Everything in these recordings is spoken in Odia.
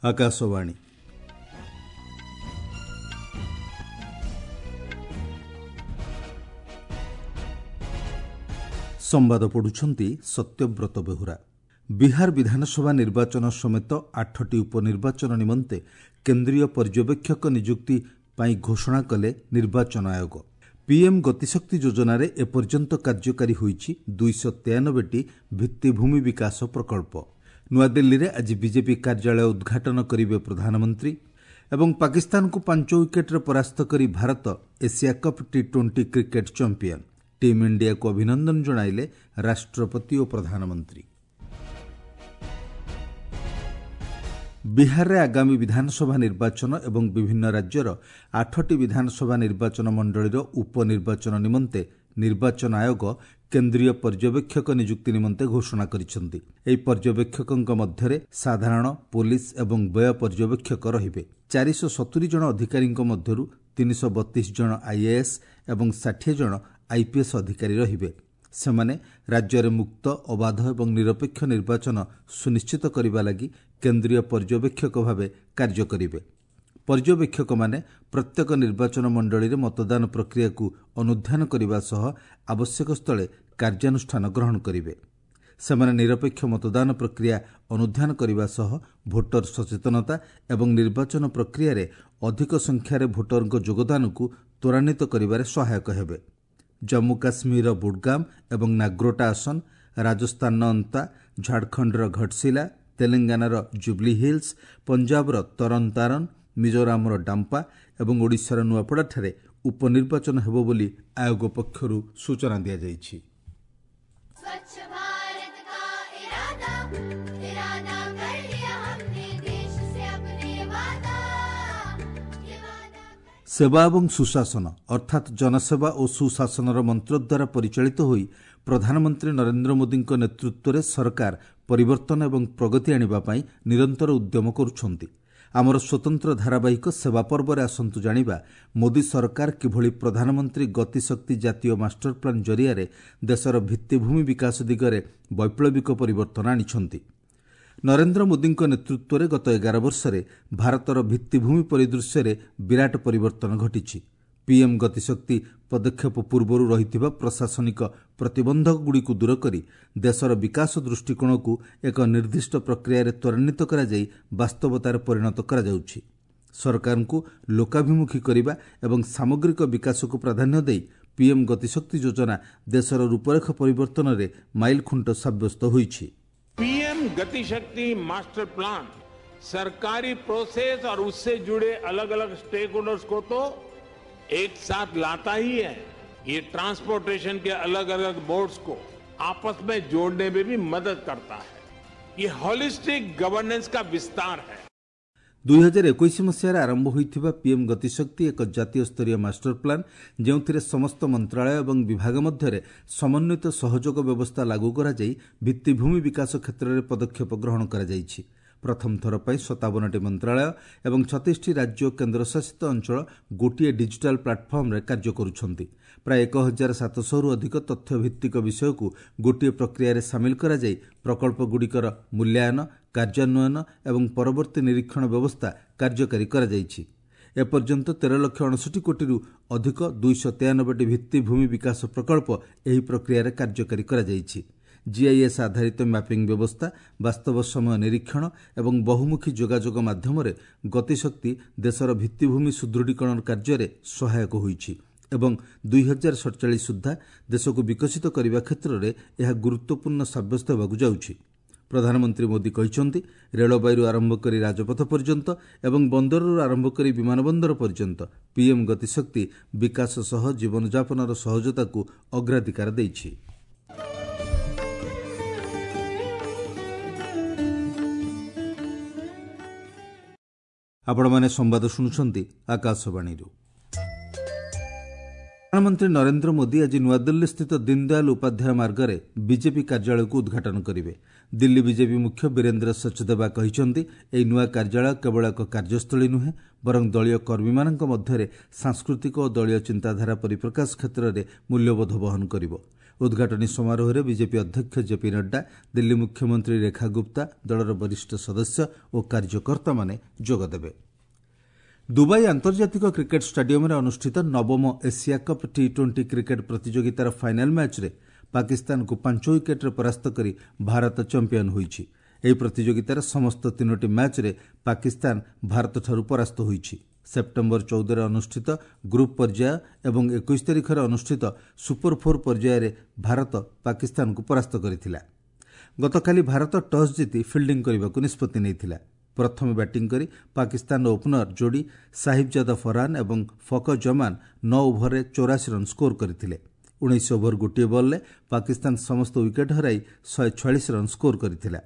ଆକାଶବାଣୀ। ସମ୍ବାଦ ପଢୁଛନ୍ତି ସତ୍ୟବ୍ରତ ବେହୁରା। ବିହାର ବିଧାନସଭା ନିର୍ବାଚନ ସମେତ 8ଟି ଉପନିର୍ବାଚନ ନିମନ୍ତେ କେନ୍ଦ୍ରୀୟ ପର୍ଯ୍ୟବେକ୍ଷକ ନିଯୁକ୍ତି ପାଇଁ ଘୋଷଣା କଲେ ନିର୍ବାଚନ ଆୟୋଗ। ପିଏମ୍ ଗତିଶକ୍ତି ଯୋଜନାରେ ଏପର୍ଯ୍ୟନ୍ତ କାର୍ଯ୍ୟକାରୀ ହୋଇଛି 293ଟି ଭିତ୍ତିଭୂମି ବିକାଶ ପ୍ରକଳ୍ପ। ନୂଆଦିଲ୍ଲୀରେ ଆଜି ବିଜେପି କାର୍ଯ୍ୟାଳୟ ଉଦ୍ଘାଟନ କରିବେ ପ୍ରଧାନମନ୍ତ୍ରୀ। ଏବଂ ପାକିସ୍ତାନକୁ 5 ୱିକେଟ୍ରେ ପରାସ୍ତ କରି Bharat Asia cup T20 cricket champion. Team ଇଣ୍ଡିଆକୁ ଅଭିନନ୍ଦନ ଜଣାଇଲେ ରାଷ୍ଟ୍ରପତି ଓ ପ୍ରଧାନମନ୍ତ୍ରୀ। ବିହାରରେ ଆଗାମୀ ବିଧାନସଭା ନିର୍ବାଚନ ଏବଂ ବିଭିନ୍ନ ରାଜ୍ୟର 8ଟି ବିଧାନସଭା ନିର୍ବାଚନ ମଣ୍ଡଳୀର ଉପନିର୍ବାଚନ ନିମନ୍ତେ ନିର୍ବାଚନ ଆୟୋଗ କେନ୍ଦ୍ରୀୟ ପର୍ଯ୍ୟବେକ୍ଷକ ନିଯୁକ୍ତି ନିମନ୍ତେ ଘୋଷଣା କରିଛନ୍ତି। ଏହି ପର୍ଯ୍ୟବେକ୍ଷକଙ୍କ ମଧ୍ୟରେ ସାଧାରଣ, ପୋଲିସ ଏବଂ ବ୍ୟୟ ପର୍ଯ୍ୟବେକ୍ଷକ ରହିବେ। 470 ଜଣ ଅଧିକାରୀଙ୍କ ମଧ୍ୟରୁ 332 ଜଣ ଆଇଏଏସ୍ ଏବଂ 60 ଜଣ ଆଇପିଏସ୍ ଅଧିକାରୀ ରହିବେ। ସେମାନେ ରାଜ୍ୟରେ ମୁକ୍ତ, ଅବାଧ ଏବଂ ନିରପେକ୍ଷ ନିର୍ବାଚନ ସୁନିଶ୍ଚିତ କରିବା ଲାଗି କେନ୍ଦ୍ରୀୟ ପର୍ଯ୍ୟବେକ୍ଷକ ଭାବେ କାର୍ଯ୍ୟ କରିବେ। ପର୍ଯ୍ୟବେକ୍ଷକମାନେ ପ୍ରତ୍ୟେକ ନିର୍ବାଚନ ମଣ୍ଡଳୀରେ ମତଦାନ ପ୍ରକ୍ରିୟାକୁ ଅନୁଧ୍ୟାନ କରିବା ସହ ଆବଶ୍ୟକ ସ୍ଥଳେ କାର୍ଯ୍ୟାନୁଷ୍ଠାନ ଗ୍ରହଣ କରିବେ। ସେମାନେ ନିରପେକ୍ଷ ମତଦାନ ପ୍ରକ୍ରିୟା ଅନୁଧ୍ୟାନ କରିବା ସହ ଭୋଟର ସଚେତନତା ଏବଂ ନିର୍ବାଚନ ପ୍ରକ୍ରିୟାରେ ଅଧିକ ସଂଖ୍ୟାରେ ଭୋଟରଙ୍କ ଯୋଗଦାନକୁ ତ୍ୱରାନ୍ୱିତ କରିବାରେ ସହାୟକ ହେବେ। ଜମ୍ମୁ କାଶ୍ମୀରର ବୁଡଗାମ ଏବଂ ନାଗ୍ରୋଟା ଆସନ, ରାଜସ୍ଥାନର ଅନ୍ତା, ଝାଡ଼ଖଣ୍ଡର ଘଟଶିଲା, ତେଲେଙ୍ଗାନାର ଜୁବ୍ଲି ହିଲ୍ସ, ପଞ୍ଜାବର ତରନ ତାରନ, ମିଜୋରାମର ଡାମ୍ପା ଏବଂ ଓଡ଼ିଶାର ନୂଆପଡ଼ାଠାରେ ଉପନିର୍ବାଚନ ହେବ ବୋଲି ଆୟୋଗ ପକ୍ଷରୁ ସୂଚନା ଦିଆଯାଇଛି। ସେବା ଏବଂ ସୁଶାସନ ଅର୍ଥାତ୍ ଜନସେବା ଓ ସୁଶାସନର ମନ୍ତ୍ର ଦ୍ୱାରା ପରିଚାଳିତ ହୋଇ ପ୍ରଧାନମନ୍ତ୍ରୀ ନରେନ୍ଦ୍ର ମୋଦିଙ୍କ ନେତୃତ୍ୱରେ ସରକାର ପରିବର୍ତ୍ତନ ଏବଂ ପ୍ରଗତି ଆଣିବା ପାଇଁ ନିରନ୍ତର ଉଦ୍ୟମ କରୁଛନ୍ତି। ଆମର ସ୍ୱତନ୍ତ୍ର ଧାରାବାହିକ ସେବା ପର୍ବରେ ଆସନ୍ତୁ ଜାଣିବା ମୋଦି ସରକାର କିଭଳି ପ୍ରଧାନମନ୍ତ୍ରୀ ଗତିଶକ୍ତି ଜାତୀୟ ମାଷ୍ଟର ପ୍ଲାନ୍ ଜରିଆରେ ଦେଶର ଭିତ୍ତିଭୂମି ବିକାଶ ଦିଗରେ ବୈପ୍ଳବିକ ପରିବର୍ତ୍ତନ ଆଣିଛନ୍ତି। ନରେନ୍ଦ୍ର ମୋଦିଙ୍କ ନେତୃତ୍ୱରେ ଗତ 11 ବର୍ଷରେ ଭାରତର ଭିତ୍ତିଭୂମି ପରିଦୃଶ୍ୟରେ ବିରାଟ ପରିବର୍ତ୍ତନ ଘଟିଛି। ପିଏମ୍ ଗତିଶକ୍ତି ପଦକ୍ଷେପ ପୂର୍ବରୁ ରହିଥିବା ପ୍ରଶାସନିକ ପ୍ରତିବନ୍ଧକଗୁଡ଼ିକୁ ଦୂର କରି ଦେଶର ବିକାଶ ଦୃଷ୍ଟିକୋଣକୁ ଏକ ନିର୍ଦ୍ଦିଷ୍ଟ ପ୍ରକ୍ରିୟାରେ ତ୍ୱରାନ୍ୱିତ କରାଯାଇ ବାସ୍ତବତାରେ ପରିଣତ କରାଯାଉଛି। ସରକାରଙ୍କୁ ଲୋକାଭିମୁଖୀ କରିବା ଏବଂ ସାମଗ୍ରିକ ବିକାଶକୁ ପ୍ରାଧାନ୍ୟ ଦେଇ ପିଏମ୍ ଗତିଶକ୍ତି ଯୋଜନା ଦେଶର ରୂପରେଖ ପରିବର୍ତ୍ତନରେ ମାଇଲଖୁଣ୍ଟ ସାବ୍ୟସ୍ତ ହୋଇଛି। पीएम गतिशक्ति मास्टर प्लान सरकारी प्रोसेस और उससे जुड़े अलग अलग स्टेक होल्डर्स को तो एक साथ लाता ही है, ये ट्रांसपोर्टेशन के अलग अलग बोर्ड्स को आपस में जोड़ने में भी मदद करता है। ये होलिस्टिक गवर्नेंस का विस्तार है। 2021 ମସିହାରେ ଆରମ୍ଭ ହୋଇଥିବା ପିଏମ୍ ଗତିଶକ୍ତି ଏକ ଜାତୀୟ ସ୍ତରୀୟ ମାଷ୍ଟର ପ୍ଲାନ୍, ଯେଉଁଥିରେ ସମସ୍ତ ମନ୍ତ୍ରାଳୟ ଏବଂ ବିଭାଗ ମଧ୍ୟରେ ସମନ୍ୱିତ ସହଯୋଗ ବ୍ୟବସ୍ଥା ଲାଗୁ କରାଯାଇ ଭିତ୍ତିଭୂମି ବିକାଶ କ୍ଷେତ୍ରରେ ପଦକ୍ଷେପ ଗ୍ରହଣ କରାଯାଇଛି। ପ୍ରଥମ ଥର ପାଇଁ 57ଟି ମନ୍ତ୍ରାଳୟ ଏବଂ 36ଟି ରାଜ୍ୟ ଓ କେନ୍ଦ୍ରଶାସିତ ଅଞ୍ଚଳ ଗୋଟିଏ ଡିଜିଟାଲ୍ ପ୍ଲାଟଫର୍ମରେ କାର୍ଯ୍ୟ କରୁଛନ୍ତି। ପ୍ରାୟ 1700ରୁ ଅଧିକ ତଥ୍ୟଭିତ୍ତିକ ବିଷୟକୁ ଗୋଟିଏ ପ୍ରକ୍ରିୟାରେ ସାମିଲ କରାଯାଇ ପ୍ରକଳ୍ପଗୁଡ଼ିକର ମୂଲ୍ୟାୟନ, କାର୍ଯ୍ୟାନ୍ୱୟନ ଏବଂ ପରବର୍ତ୍ତୀ ନିରୀକ୍ଷଣ ବ୍ୟବସ୍ଥା କାର୍ଯ୍ୟକାରୀ କରାଯାଇଛି। ଏପର୍ଯ୍ୟନ୍ତ 13 ଲକ୍ଷ 59 କୋଟିରୁ ଅଧିକ 293ଟି ଭିତ୍ତିଭୂମି ବିକାଶ ପ୍ରକଳ୍ପ ଏହି ପ୍ରକ୍ରିୟାରେ କାର୍ଯ୍ୟକାରୀ କରାଯାଇଛି। ଜିଆଇଏସ୍ ଆଧାରିତ ମ୍ୟାପିଂ ବ୍ୟବସ୍ଥା, ବାସ୍ତବ ସମୟ ନିରୀକ୍ଷଣ ଏବଂ ବହୁମୁଖୀ ଯୋଗାଯୋଗ ମାଧ୍ୟମରେ ଗତିଶକ୍ତି ଦେଶର ଭିତ୍ତିଭୂମି ସୁଦୃଢ଼ୀକରଣ କାର୍ଯ୍ୟରେ ସହାୟକ ହୋଇଛି ଏବଂ 2047 ସୁଦ୍ଧା ଦେଶକୁ ବିକଶିତ କରିବା କ୍ଷେତ୍ରରେ ଏହା ଗୁରୁତ୍ୱପୂର୍ଣ୍ଣ ସାବ୍ୟସ୍ତ ହେବାକୁ ଯାଉଛି। ପ୍ରଧାନମନ୍ତ୍ରୀ ମୋଦି କହିଛନ୍ତି, ରେଳବାଇରୁ ଆରମ୍ଭ କରି ରାଜପଥ ପର୍ଯ୍ୟନ୍ତ ଏବଂ ବନ୍ଦରରୁ ଆରମ୍ଭ କରି ବିମାନବନ୍ଦର ପର୍ଯ୍ୟନ୍ତ ପିଏମ୍ ଗତିଶକ୍ତି ବିକାଶ ସହ ଜୀବନଯାପନର ସହଜତାକୁ ଅଗ୍ରାଧିକାର ଦେଇଛି। ଆପଣମାନେ ସମ୍ବାଦ ଶୁଣୁଛନ୍ତି ଆକାଶବାଣୀରୁ। ପ୍ରଧାନମନ୍ତ୍ରୀ ନରେନ୍ଦ୍ର ମୋଦି ଆଜି ନୂଆଦିଲ୍ଲୀସ୍ଥିତ ଦୀନଦୟାଲ ଉପାଧ୍ୟାୟ ମାର୍ଗରେ ବିଜେପି କାର୍ଯ୍ୟାଳୟକୁ ଉଦ୍ଘାଟନ କରିବେ। ଦିଲ୍ଲୀ ବିଜେପି ମୁଖ୍ୟ ବୀରେନ୍ଦ୍ର ସଚଦେବା କହିଛନ୍ତି, ଏହି ନୂଆ କାର୍ଯ୍ୟାଳୟ କେବଳ ଏକ କାର୍ଯ୍ୟସ୍ଥଳୀ ନୁହେଁ, ବରଂ ଦଳୀୟ କର୍ମୀମାନଙ୍କ ମଧ୍ୟରେ ସାଂସ୍କୃତିକ ଓ ଦଳୀୟ ଚିନ୍ତାଧାରା ପରିପ୍ରକାଶ କ୍ଷେତ୍ରରେ ମୂଲ୍ୟବୋଧ ବହନ କରିବ। ଉଦ୍ଘାଟନୀ ସମାରୋହରେ ବିଜେପି ଅଧ୍ୟକ୍ଷ ଜେପି ନଡ୍ଡା, ଦିଲ୍ଲୀ ମୁଖ୍ୟମନ୍ତ୍ରୀ ରେଖା ଗୁପ୍ତା, ଦଳର ବରିଷ୍ଠ ସଦସ୍ୟ ଓ କାର୍ଯ୍ୟକର୍ତ୍ତାମାନେ ଯୋଗଦେବେ। ଦୁବାଇ ଆନ୍ତର୍ଜାତିକ କ୍ରିକେଟ୍ ଷ୍ଟାଡିୟମ୍ରେ ଅନୁଷ୍ଠିତ ନବମ ଏସିଆ କପ୍ ଟି-20 କ୍ରିକେଟ୍ ପ୍ରତିଯୋଗିତାର ଫାଇନାଲ୍ ମ୍ୟାଚ୍ରେ ପାକିସ୍ତାନକୁ 5 ୱିକେଟ୍ରେ ପରାସ୍ତ କରି ଭାରତ ଚାମ୍ପିୟନ୍ ହୋଇଛି। ଏହି ପ୍ରତିଯୋଗିତାର ସମସ୍ତ 3ଟି ମ୍ୟାଚ୍ରେ ପାକିସ୍ତାନ ଭାରତଠାରୁ ପରାସ୍ତ ହୋଇଛି। ସେପ୍ଟେମ୍ବର 14ରେ ଅନୁଷ୍ଠିତ ଗ୍ରୁପ୍ ପର୍ଯ୍ୟାୟ ଏବଂ 21 ତାରିଖରେ ଅନୁଷ୍ଠିତ ସୁପର ଫୋର୍ ପର୍ଯ୍ୟାୟରେ ଭାରତ ପାକିସ୍ତାନକୁ ପରାସ୍ତ କରିଥିଲା। ଗତକାଲି ଭାରତ ଟସ୍ ଜିତି ଫିଲ୍ଡିଂ କରିବାକୁ ନିଷ୍ପତ୍ତି ନେଇଥିଲା। ପ୍ରଥମେ ବ୍ୟାଟିଂ କରି ପାକିସ୍ତାନର ଓପନର ଯୋଡ଼ି ସାହିବଜାଦା ଫରହାନ ଏବଂ ଫକର ଜମାନ 9 ଓଭରରେ 84 ରନ୍ ସ୍କୋର କରିଥିଲେ। 19 ଓଭର 1 ବଲ୍ରେ ପାକିସ୍ତାନ ସମସ୍ତ ୱିକେଟ୍ ହରାଇ 146 ରନ୍ ସ୍କୋର କରିଥିଲା।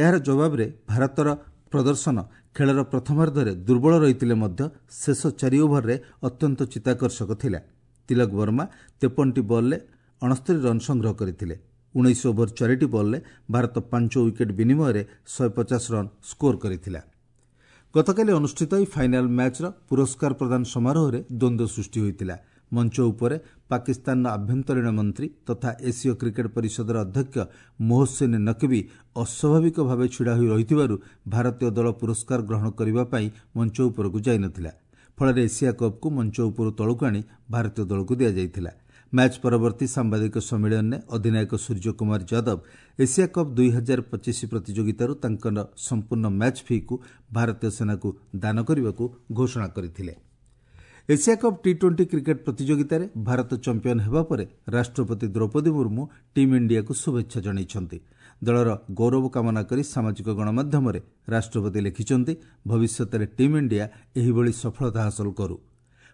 ଏହାର ଜବାବରେ ଭାରତର ପ୍ରଦର୍ଶନ ଖେଳର ପ୍ରଥମାର୍ଦ୍ଧରେ ଦୁର୍ବଳ ରହିଥିଲେ ମଧ୍ୟ ଶେଷ 4 ଓଭରରେ ଅତ୍ୟନ୍ତ ଚିତ୍ତାକର୍ଷକ ଥିଲା। ତିଲକ ବର୍ମା 53ଟି ବଲ୍ରେ 69 ରନ୍ ସଂଗ୍ରହ କରିଥିଲେ। 19 ଓଭର 4ଟି ବଲ୍ରେ ଭାରତ 5 ୱିକେଟ୍ ବିନିମୟରେ 150 ରନ୍ ସ୍କୋର କରିଥିଲା। ଗତକାଲି ଅନୁଷ୍ଠିତ ଏହି ଫାଇନାଲ୍ ମ୍ୟାଚ୍ର ପୁରସ୍କାର ପ୍ରଦାନ ସମାରୋହରେ ଦ୍ୱନ୍ଦ୍ୱ ସୃଷ୍ଟି ହୋଇଥିଲା। ମଞ୍ଚ ଉପରେ ପାକିସ୍ତାନର ଆଭ୍ୟନ୍ତରୀଣ ମନ୍ତ୍ରୀ ତଥା ଏସୀୟ କ୍ରିକେଟ୍ ପରିଷଦର ଅଧ୍ୟକ୍ଷ ମୋହସିନ୍ ନକବୀ ଅସ୍ୱାଭାବିକ ଭାବେ ଛିଡ଼ା ହୋଇ ରହିଥିବାରୁ ଭାରତୀୟ ଦଳ ପୁରସ୍କାର ଗ୍ରହଣ କରିବା ପାଇଁ ମଞ୍ଚ ଉପରକୁ ଯାଇନଥିଲା। ଫଳରେ ଏସିଆ କପ୍କୁ ମଞ୍ଚ ଉପରୁ ତଳକୁ ଆଣି ଭାରତୀୟ ଦଳକୁ ଦିଆଯାଇଥିଲା। ମ୍ୟାଚ୍ ପରବର୍ତ୍ତୀ ସାମ୍ବାଦିକ ସମ୍ମିଳନୀରେ ଅଧିନାୟକ ସୂର୍ଯ୍ୟକୁମାର ଯାଦବ ଏସିଆ କପ୍ 2025 ପ୍ରତିଯୋଗିତାରୁ ତାଙ୍କର ସମ୍ପୂର୍ଣ୍ଣ ମ୍ୟାଚ୍ ଫି'କୁ ଭାରତୀୟ ସେନାକୁ ଦାନ କରିବାକୁ ଘୋଷଣା କରିଥିଲେ। ଏସିଆ କପ୍ ଟି-20 କ୍ରିକେଟ୍ ପ୍ରତିଯୋଗିତାରେ ଭାରତ ଚାମ୍ପିୟନ୍ ହେବା ପରେ ରାଷ୍ଟ୍ରପତି ଦ୍ରୌପଦୀ ମୁର୍ମୁ ଟିମ୍ ଇଣ୍ଡିଆକୁ ଶୁଭେଚ୍ଛା ଜଣାଇଛନ୍ତି। ଦଳର ଗୌରବ କାମନା କରି ସାମାଜିକ ଗଣମାଧ୍ୟମରେ ରାଷ୍ଟ୍ରପତି ଲେଖିଛନ୍ତି, ଭବିଷ୍ୟତରେ ଟିମ୍ ଇଣ୍ଡିଆ ଏହିଭଳି ସଫଳତା ହାସଲ କରୁ।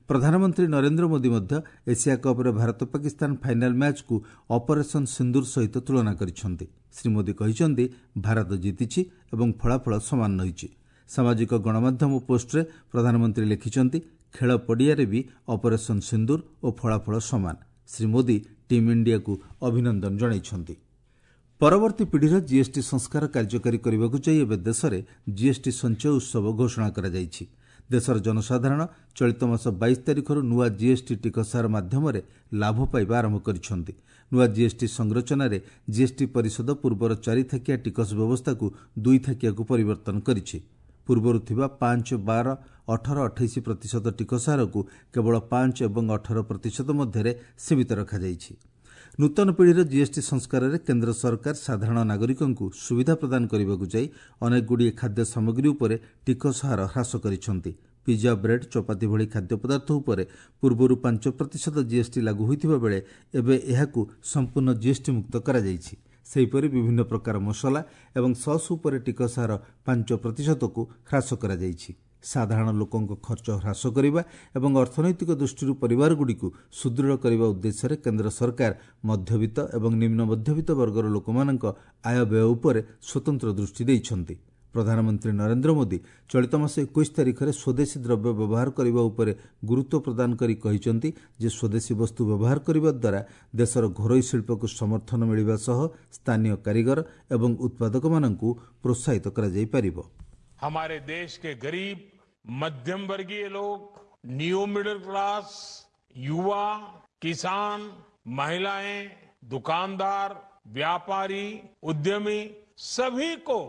ପ୍ରଧାନମନ୍ତ୍ରୀ ନରେନ୍ଦ୍ର ମୋଦି ମଧ୍ୟ ଏସିଆ କପ୍ରେ ଭାରତ ପାକିସ୍ତାନ ଫାଇନାଲ୍ ମ୍ୟାଚ୍କୁ ଅପରେସନ୍ ସିନ୍ଦୁର ସହିତ ତୁଳନା କରିଛନ୍ତି। ଶ୍ରୀ ମୋଦି କହିଛନ୍ତି, ଭାରତ ଜିତିଛି ଏବଂ ଫଳାଫଳ ସମାନ ରହିଛି। ସାମାଜିକ ଗଣମାଧ୍ୟମ ପୋଷ୍ଟରେ ପ୍ରଧାନମନ୍ତ୍ରୀ ଲେଖିଛନ୍ତି, ଖେଳ ପଡ଼ିଆରେ ବି ଅପରେସନ୍ ସିନ୍ଦୁର ଓ ଫଳାଫଳ ସମାନ। ଶ୍ରୀ ମୋଦି ଟିମ୍ ଇଣ୍ଡିଆକୁ ଅଭିନନ୍ଦନ ଜଣାଇଛନ୍ତି। ପରବର୍ତ୍ତୀ ପିଢ଼ିର ଜିଏସ୍ଟି ସଂସ୍କାର କାର୍ଯ୍ୟକାରୀ କରିବାକୁ ଯାଇ ଏବେ ଦେଶରେ ଜିଏସ୍ଟି ସଞ୍ଚୟ ଉତ୍ସବ ଘୋଷଣା କରାଯାଇଛି। ଦେଶର ଜନସାଧାରଣ ଚଳିତ ମାସ 22 ତାରିଖରୁ ନୂଆ ଜିଏସ୍ଟି ଟିକସ ହାର ମାଧ୍ୟମରେ ଲାଭ ପାଇବା ଆରମ୍ଭ କରିଛନ୍ତି। ନୂଆ ଜିଏସ୍ଟି ସଂରଚନାରେ ଜିଏସ୍ଟି ପରିଷଦ ପୂର୍ବର 4 ଥାକିଆ ଟିକସ ବ୍ୟବସ୍ଥାକୁ 2 ଥାକିଆକୁ ପରିବର୍ତ୍ତନ କରିଛି। ପୂର୍ବରୁ ଥିବା 5, 12, 18, 28% ଟିକସ ହାରକୁ କେବଳ 5 ଏବଂ 18% ମଧ୍ୟରେ ସୀମିତ ରଖାଯାଇଛି। ନୂତନ ପିଢ଼ିର ଜିଏସ୍ଟି ସଂସ୍କାରରେ କେନ୍ଦ୍ର ସରକାର ସାଧାରଣ ନାଗରିକଙ୍କୁ ସୁବିଧା ପ୍ରଦାନ କରିବାକୁ ଯାଇ ଅନେକଗୁଡ଼ିଏ ଖାଦ୍ୟ ସାମଗ୍ରୀ ଉପରେ ଟିକସ ହାର ହ୍ରାସ କରିଛନ୍ତି। ପିଜା, ବ୍ରେଡ୍, ଚପାତି ଭଳି ଖାଦ୍ୟ ପଦାର୍ଥ ଉପରେ ପୂର୍ବରୁ 5% ଜିଏସ୍ଟି ଲାଗୁ ହୋଇଥିବା ବେଳେ ଏବେ ଏହାକୁ ସମ୍ପୂର୍ଣ୍ଣ ଜିଏସ୍ଟି ମୁକ୍ତ କରାଯାଇଛି। ସେହିପରି ବିଭିନ୍ନ ପ୍ରକାର ମସଲା ଏବଂ ସସ୍ ଉପରେ ଟିକସ ହାର 5%କୁ ହ୍ରାସ କରାଯାଇଛି। ସାଧାରଣ ଲୋକଙ୍କ ଖର୍ଚ୍ଚ ହ୍ରାସ କରିବା ଏବଂ ଅର୍ଥନୈତିକ ଦୃଷ୍ଟିରୁ ପରିବାରଗୁଡ଼ିକୁ ସୁଦୃଢ଼ କରିବା ଉଦ୍ଦେଶ୍ୟରେ କେନ୍ଦ୍ର ସରକାର ମଧ୍ୟବିତ୍ତ ଏବଂ ନିମ୍ନ ମଧ୍ୟବିତ୍ତ ବର୍ଗର ଲୋକମାନଙ୍କ ଆୟ ବ୍ୟୟ ଉପରେ ସ୍ୱତନ୍ତ୍ର ଦୃଷ୍ଟି ଦେଇଛନ୍ତି। ପ୍ରଧାନମନ୍ତ୍ରୀ ନରେନ୍ଦ୍ର ମୋଦି ଚଳିତ ମାସ 21 ତାରିଖରେ ସ୍ୱଦେଶୀ ଦ୍ରବ୍ୟ ବ୍ୟବହାର କରିବା ଉପରେ ଗୁରୁତ୍ୱ ପ୍ରଦାନ କରି କହିଛନ୍ତି ଯେ ସ୍ୱଦେଶୀ ବସ୍ତୁ ବ୍ୟବହାର କରିବା ଦ୍ୱାରା ଦେଶର ଘରୋଇ ଶିଳ୍ପକୁ ସମର୍ଥନ ମିଳିବା ସହ ସ୍ଥାନୀୟ କାରିଗର ଏବଂ ଉତ୍ପାଦକମାନଙ୍କୁ ପ୍ରୋତ୍ସାହିତ କରାଯାଇପାରିବ। हमारे देश के गरीब, मध्यम वर्गीय लोग, न्यू मिडिल क्लास, युवा, किसान, महिलाएं, दुकानदार, व्यापारी, उद्यमी, सभी को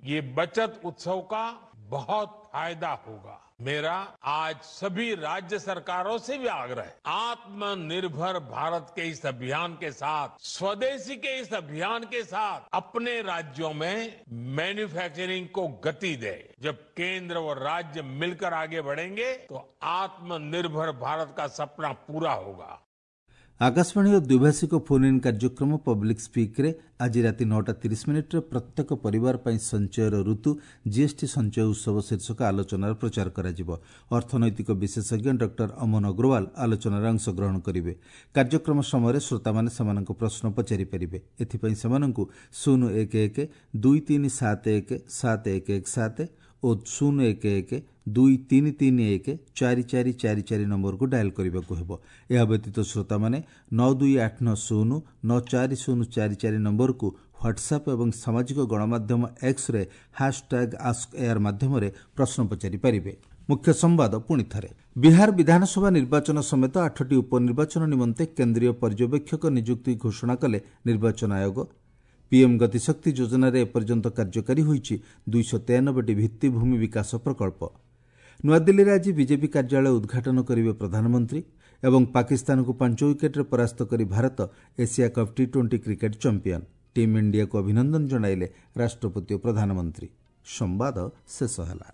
ये बचत उत्सव का बहुत फायदा होगा। मेरा आज सभी राज्य सरकारों से भी आग्रह है, आत्मनिर्भर भारत के इस अभियान के साथ, स्वदेशी के इस अभियान के साथ अपने राज्यों में मैन्युफैक्चरिंग को गति दे। जब केंद्र और राज्य मिलकर आगे बढ़ेंगे तो आत्मनिर्भर भारत का सपना पूरा होगा। ଆକାଶବାଣୀର ଦ୍ୱିଭାଷିକ ଫୋନ୍ ଇନ୍ କାର୍ଯ୍ୟକ୍ରମ ପବ୍ଲିକ୍ ସ୍ପିକ୍ରେ ଆଜି ରାତି 9ଟା 30 ମିନିଟ୍ରେ ପ୍ରତ୍ୟେକ ପରିବାର ପାଇଁ ସଞ୍ଚୟର ଋତୁ, ଜିଏସ୍ଟି ସଞ୍ଚୟ ଉତ୍ସବ ଶୀର୍ଷକ ଆଲୋଚନାର ପ୍ରଚାର କରାଯିବ। ଅର୍ଥନୈତିକ ବିଶେଷଜ୍ଞ ଡକ୍ଟର ଅମନ ଅଗ୍ରୱାଲ ଆଲୋଚନାରେ ଅଂଶଗ୍ରହଣ କରିବେ। କାର୍ଯ୍ୟକ୍ରମ ସମୟରେ ଶ୍ରୋତାମାନେ ସେମାନଙ୍କ ପ୍ରଶ୍ନ ପଚାରିପାରିବେ। ଏଥିପାଇଁ ସେମାନଙ୍କୁ 011 2371 7117 ଓ 011 2331 4444 ନମ୍ବରକୁ ଡାଏଲ୍ କରିବାକୁ ହେବ। ଏହା ବ୍ୟତୀତ ଶ୍ରୋତାମାନେ 92890 94044 ନମ୍ବରକୁ ହ୍ୱାଟ୍ସଆପ୍ ଏବଂ ସାମାଜିକ ଗଣମାଧ୍ୟମ ଏକ୍ସରେ ହ୍ୟାସ୍ଟ୍ୟାଗ୍ ଆସ୍କ ଏୟାର ମାଧ୍ୟମରେ ପ୍ରଶ୍ନ ପଚାରିପାରିବେ। ମୁଖ୍ୟ ସମ୍ବାଦ ପୁଣିଥରେ। ବିହାର ବିଧାନସଭା ନିର୍ବାଚନ ସମେତ 8ଟି ଉପନିର୍ବାଚନ ନିମନ୍ତେ କେନ୍ଦ୍ରୀୟ ପର୍ଯ୍ୟବେକ୍ଷକ ନିଯୁକ୍ତି ଘୋଷଣା କଲେ ନିର୍ବାଚନ ଆୟୋଗ। ପିଏମ୍ ଗତିଶକ୍ତି ଯୋଜନାରେ ଏପର୍ଯ୍ୟନ୍ତ କାର୍ଯ୍ୟକାରୀ ହୋଇଛି 293ଟି ଭିତ୍ତିଭୂମି ବିକାଶ ପ୍ରକଳ୍ପ। ନୂଆଦିଲ୍ଲୀରେ ଆଜି ବିଜେପି କାର୍ଯ୍ୟାଳୟ ଉଦ୍ଘାଟନ କରିବେ ପ୍ରଧାନମନ୍ତ୍ରୀ। ଏବଂ ପାକିସ୍ତାନକୁ 5 ୱିକେଟ୍ରେ ପରାସ୍ତ କରି Bharat Asia cup T20 cricket champion. Team ଇଣ୍ଡିଆକୁ ଅଭିନନ୍ଦନ ଜଣାଇଲେ ରାଷ୍ଟ୍ରପତି ଓ ପ୍ରଧାନମନ୍ତ୍ରୀ। ସମ୍ବାଦ ଶେଷ ହେଲା।